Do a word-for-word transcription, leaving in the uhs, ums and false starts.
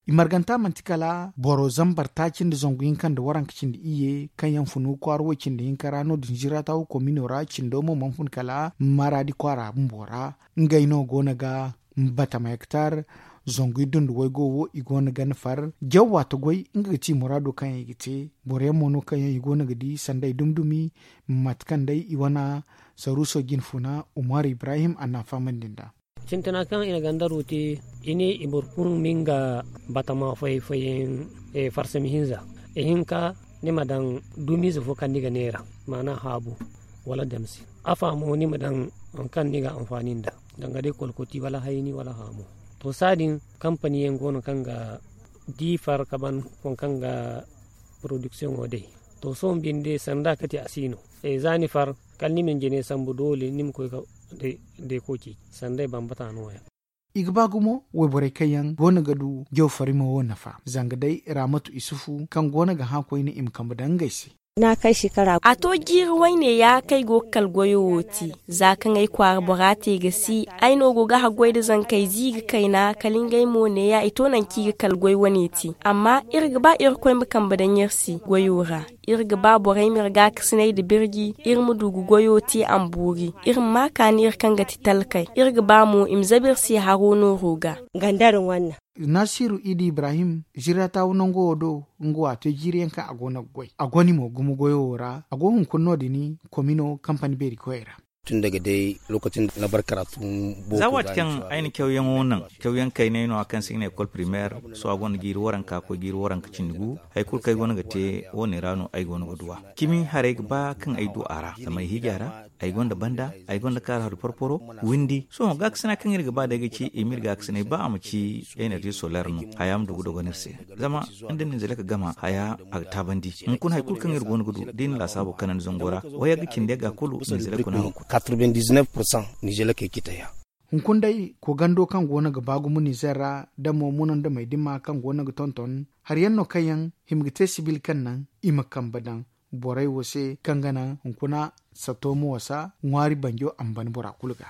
I marganta manti kala boro zambar taaci nda zangu hinka nda waranka cindi iyye kaŋ yaŋ funu kwaara wo cindi hinka ra no- din ziratawu komino ra cindo mo mana fun kala maraadi kwaara bumbo ra. Ngey no go no ga batama hektar zangu iddu nda waygo wo i go no ga ni far jaw waati goy nga ga ti muraado kaŋ yaŋ i ga te. Boro yaŋ mo no kaŋ yaŋ i go no ga di sanda i dumi dumi mate kaŋ day i wane saruuso jine funa umar ibrahim a na a fahamandi nd'a. Sintina kaŋ i na ganda ruuti i ne i boro kulu ma nga batama fay fayyaŋ farsami hinza. Ihinka ni ma daŋ dumiize fo kaŋ ni ga neera maana haabu wala damsi. Afa mo ni ma daŋ waŋ kaŋ ni ga anfaani nda danga day kolkoti wala hayni wala haamu. To saadin kampani yaŋ go no kaŋ ga di far ka ban waŋ kaŋ ga porodiksiyoŋo day. To sohõ binde sanda ka te a si no. Za ni far kala ni ma ni jine sambu doole ni ma koy ka day day koci sanda ay bambata no- ya. I ga ba gumo wayborey kaŋ yaŋ go no ga du jaw farimo wo nafa zanga day raamatu isufu kaŋ go no ga hã koyne i ma kambe daŋ ngey se. A to jiiri wayne ya kaŋ ay go ga kala goyo wo te. Za kaŋ ay kwaara bora te ga si ay no go ga haggoy nda zankey ziiri kayna kala ngey mo neeya i to nangu kaŋ i ga kala goy wane te. Amma iri ga ba irkoy ma kambe daŋ iri se goyo ra. Iri ga ba borey ma iri gaakasinay nda birji iri ma du ga goyo te a ma boori iri ma ma kaani iri kaŋ ga ti talkey iri ga ba mo i ma zabe iri se haro nooro ga. Naasiiru iidi ibrahim ziratawu nango wo do. Nga wo a te jiiri yaŋ kaŋ a go no ga goy a goni mo gumo goyo wo ra a go hunkuna no- din komino kampani beeri koyey ra. Za waati kaŋ ay na cawyaŋo naŋ cawyaŋ kaynay no- ya kaŋ se i ga ne ekol primeer. Sohõ a gonda jiiri waranka koy jiiri waranka cindi gu. Hari kulu kaŋ ay go no ga te wo- ne ra no ay go no ga du a. Cimi haray ga ba kaŋ ay du a ra zama ay hiija ra. Ay gonda banda ay gonda kaara hari porporo windi sohõ gaakasina kaŋ iri ga ba day ga ci i ma iri gaakasinay ba a ma ci enerzi soler no. Haya ma du ga dogon iri se zama nda ninzele ka gama haya a ga taabandi. Hunkuna hari kulu kaŋ iri go no ga du da i na laasaabo kanandi zango ra wayagga cindi yagga kulu ninzele kuna. Hunkuna day koogando kaŋ go no ga ba gumo nizer ra da mo munandamey dima kaŋ go no ga tonton hari yaŋ no kaŋ yaŋ hima ga te sibil kaŋ naŋ i ma kambe daŋ borey wo se kaŋ ga naŋ hunkuna sato ma wasa ŋwaari banjo a ma ban bora kulu ga.